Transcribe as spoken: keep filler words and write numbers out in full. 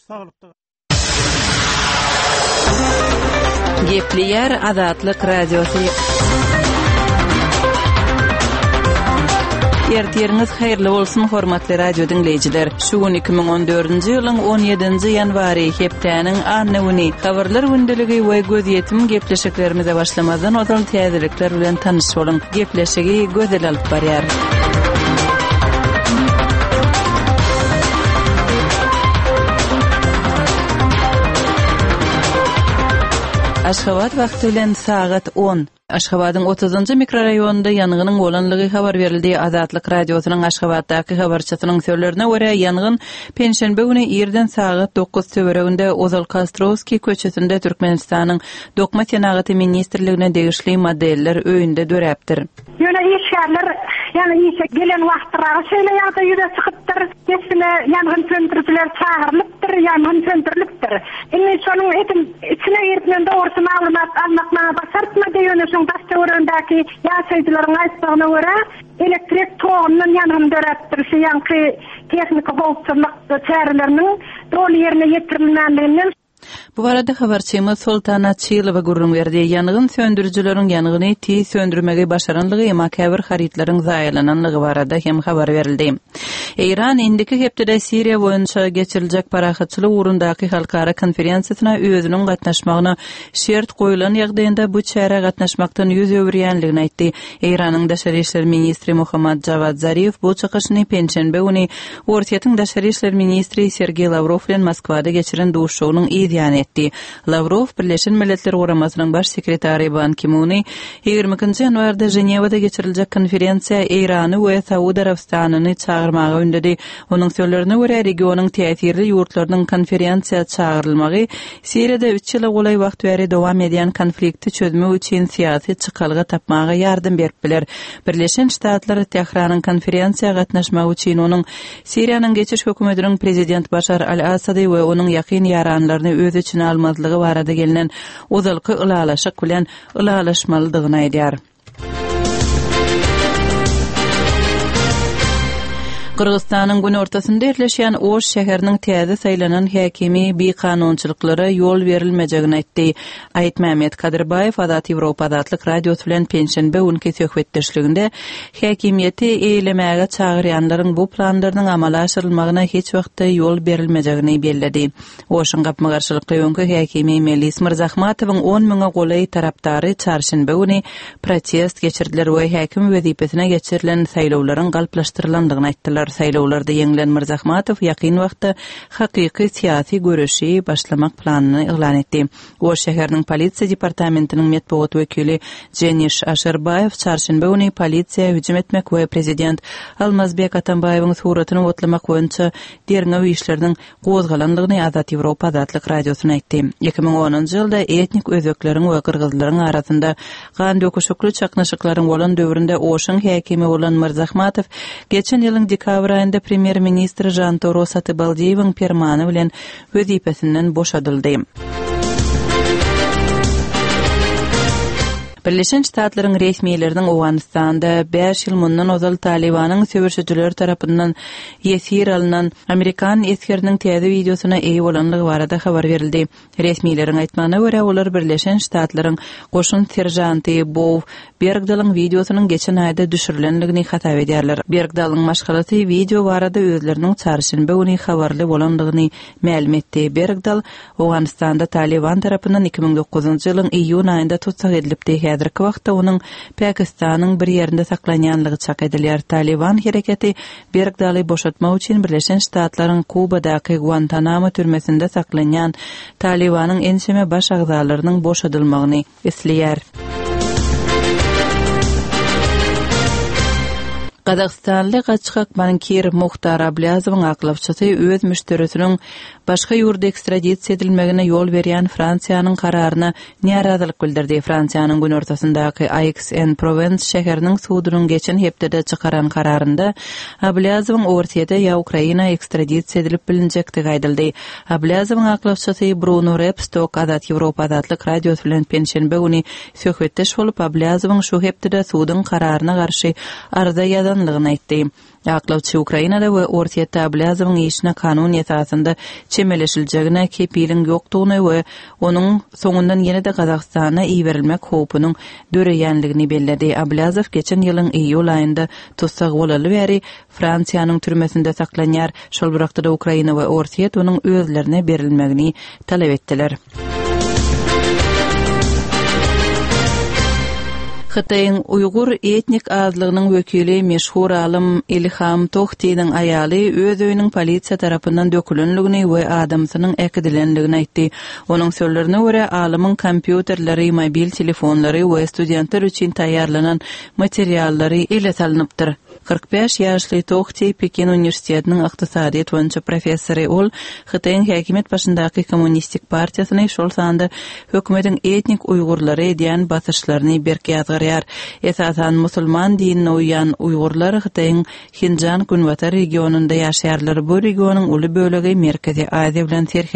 Saglykda. Gepleýär Azatlyk Radiosy. Ertiriňiz haýyrly bolsun, hormatly radio diňleýjiler. Şu gün iki müň on dördünji ýylyň on ýedinji ýanwary, hepdäniň anna güni. Habarlar gündeligi we gözýetim gepleşiklerimize başlamazdan ozal täzelikler bilen tanyş boluň. Gepleşigi Gözel alyp barýar. Aşgabat wagty bilen sagat on. Aşgabadyň otuzynjy mikroraýonynda ýangynyň bolanlygy habar berildi. Azatlyk Radiosynyň Aşgabatdaky habarçysynyň sözlerine görä, ýangyn penşenbe güni irden sagat dokuz töwereginde ozalky Ostrowskiý köçesinde Türkmenistanyň Dokma senagaty ministrligine degişli modeller öýünde döräpdir. Ýöne işgärler, ýagny işe gelen wagtlaryna şeýle ýagdaý ýüze çykypdyr. Dessine ýangyn söndürijiler çagyrylypdyr, ýangyn söndürilipdir. Indi şonuň edil içine girip men dogrusy maglumat almak maňa başartmady, ýöne şoň daş töweregindäki ýaşaýjylaryň aýtmagyna görä, elektrik togundan ýangyn döräpdir. Şu ýanky tehniki howpsuzlyk çäreleriniň doly ýerine ýetirilmänliginden. Bu barada habarçymyz Soltan Açylowa gürrüň berdi. Ýangyn söndürijileriň ýangyny tiz söndürmegi başaranlygy, emma käbir harytlaryň zaýalananlygy barada hem habar berildi. Eýran indiki hepdede Siriýa boýunça geçiriljek parahatçylyk ugrundaky halkara konferensiýasyna özüniň gatnaşmagyna şert goýulan ýagdaýynda bu çärä gatnaşmakdan ýüz öwürýänligini aýtdy. Eýranyň daşary işler ministri Muhammad Javad Zarif bu çykyşyny penşenbe güni Orsýetiň daşary işler ministri Sergey Lavrov bilen Moskwada geçiren duşuşygynyň yz ýany etdi. Lavrov Birleşen Milletler Guramasynyň baş sekretary Ban Ki-muny ýigrimi ikinji ýanwarda Ženewada geçiriljek konferensiýa Eýrany we Saud Arabystanyny çagyrmaga ündedi. Onuň sözlerine görä, regionyň täsirli ýurtlarynyň konferensiýa çagyrylmagy Siriýada üç ýyla golaý wagt bäri dowam edýän konflikti çözmek üçin syýasy çykalga tapmaga ýardam berip biler. Birleşen Ştatlar Tähranyň konferensiýa gatnaşmagy üçin onuň Siriýanyň geçiş hökümetiniň prezident Başar al-Assady we onuň ýakyn ýaranlaryny öz içine almazlygy barada gelnen ozalky ylalaşyk bilen ylalaşmalydygyny aýdýar. Gyrgyzystanyň günortasynda ýerleşýän Oş şäheriniň täze saýlanan häkimi bikanunçylyklara ýol berilmejegini aýtdy. Aýtmämmet Kadyrbaýew Azat Ýewropa Azatlyk Radiosy bilen penşenbe günki söhbetdeşliginde häkimiýeti eýlemäge çagyrýanlaryň bu planlarynyň amala aşyrylmagyna hiç wagtda ýol berilmejegini belledi. Oşuň gapma-garşylykly öňki häkimi Melis Mirzahmatowyň on müňe golaý tarapdary çarşenbe güni protest geçirdiler we häkim wezipesine geçirilen saýlawlaryň galplaşdyrylandygyny aýtdylar. Saýlawlarda ýeňilen Mirzahmatow ýakyn wagtda hakyky syýasy göreşi başlamak planyny yglan etdi. Oş şäheriniň polisiýa departamentiniň metbugat wekili Jeniş Aşerbaýew çarşenbe güni polisiýa hüjüm etmek we prezident Almazbek Atambaýewiň suratyny otlamak boýunça derňew işleriniň gozgalandygyny Azat Ýewropa Azatlyk Radiosyna aýtdy. Iki müň onunjy ýylda etnik özbekleriň we gyrgyzlaryň arasynda gan döküşikli çaknyşyklaryň bolan döwründe Oşuň häkimi bolan Mirzahmatow geçen ýylyň dekabr aýynda premýer-ministr Žantoro Satybaldiýewiň permany bilen wezipesinden boşadyldy. Birleşen Ştatlaryň resmileriniň Owganystanda bäş ýyl mundan ozal Talibanyň söweşijileri tarapyndan ýesir alynan Amerikan esgeriniň täze wideosyna eýe bolanlygy barada habar berildi. Resmileriň aýtmagyna görä, olar Birleşen Ştatlaryň goşun serjanty Bow Bergdalyň wideosynyň geçen aýda düşürilenligini hasap edýärler. Bergdalyň maşgalasy wideo barada özleriniň çarşenbe güni habarly bolandygyny mälim etdi. Bergdal Owganystanda Taliban tarapyndan iki müň dokuzynjy ýylyň iýun aýynda tutsag edilipdi. Häzirki wagtda onuň Pakistanyň bir ýerinde saklanýanlygy çak edilýär. Taliban hereketi Bergdaly boşatmak üçin Birleşen Ştatlaryň Kubadaky Guantanamo türmesinde saklanýan Talibanyň ençeme baş agzalarynyň boşadylmagyny isleýär. Gazagystanly gaçgak bankir Muhtar Ablýazowyň aklawçysy öz müşderisiniň başga ýurda ekstradisiýa edilmegine ýol berýän Fransiýanyň kararyna närazylyk bildirdi. Fransiýanyň günortasyndaky Aix-en-Provence şäheriniň sudunyň geçen hepdede çykaran kararynda Ablýazowyň Orsýete ýa Ukraina ekstradisiýa edilip bilinjekdigi aýdyldy. Ablýazowyň aklawçysy Bruno Repstok Azat Ýewropa Azatlyk Radiosy bilen penşenbe güni söhbetdeş bolup, Ablýazowyň şu hepdede suduň kararyna garşy arza ýazanlygyny aýtdy. Aklawçy Ukrainada we Orsýetde Ablýazowyň işine kanun esasynda çemeleşiljegine kepiliň ýokdugyny we onuň soňundan ýene-de Gazagystana iberilmek howpunyň döreýänligini belledi. Ablýazow geçen ýylyň iýul aýynda tussag bolaly bäri Fransiýanyň türmesinde saklanýar. Şol bir wagtda-da Ukraina we Orsýet onuň özlerine berilmegini talap etdiler. Hytaýyň uýgur etnik azlygynyň wekili meşhur alym Ilham Tohtiniň aýaly öz öýüniň polisiýa tarapyndan dökülenligini we adamsynyň äkidilenligini aýtdy. Onuň sözlerine görä, alymyň kompýuterleri, mobil telefonlary we studentler üçin taýýarlanan materiallary ele salnypdyr. Kyrk bäş ýaşly Tohti Pekin uniwersitetiniň ykdysadyýet boýunça professory. Ol Hytaýyň häkimiýet başyndaky Kommunistik partiýasyny, şol sanda hökümetiň etnik uýgurlara edýän basyşlaryny berk ýazgarýar. Esasan musulman dinine uýýan uýgurlar Hytaýyň Hinjan günbatar regionynda ýaşaýarlar. Bu regionyň uly bölegi Merkezi Aziýa bilen serhet